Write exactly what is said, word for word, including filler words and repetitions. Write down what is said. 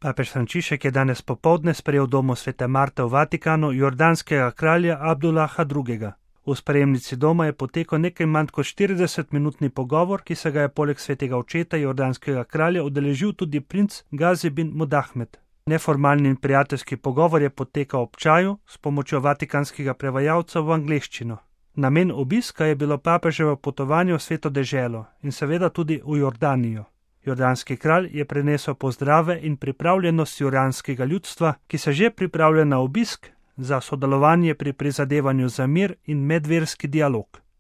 Papež Frančišek je danes popoldne sprejel v domu svete Marte v Vatikanu jordanskega kralja Abdullaha drugega. V sprejemnici doma je potekal nekaj manj kot štiridesetminutni pogovor, ki se ga je poleg svetega očeta jordanskega kralja udeležil tudi princ Gazi bin Mudahmed. Neformalni in prijateljski pogovor je potekal ob čaju s pomočjo vatikanskega prevajalca v angleščino. Namen obiska je bilo papeževo potovanje v sveto deželo in seveda tudi v Jordanijo. Jordanski kralj je prenesel pozdrave in pripravljenost jordanskega ljudstva, ki se že pripravlja na obisk za sodelovanje pri prizadevanju za mir in medverski dialog.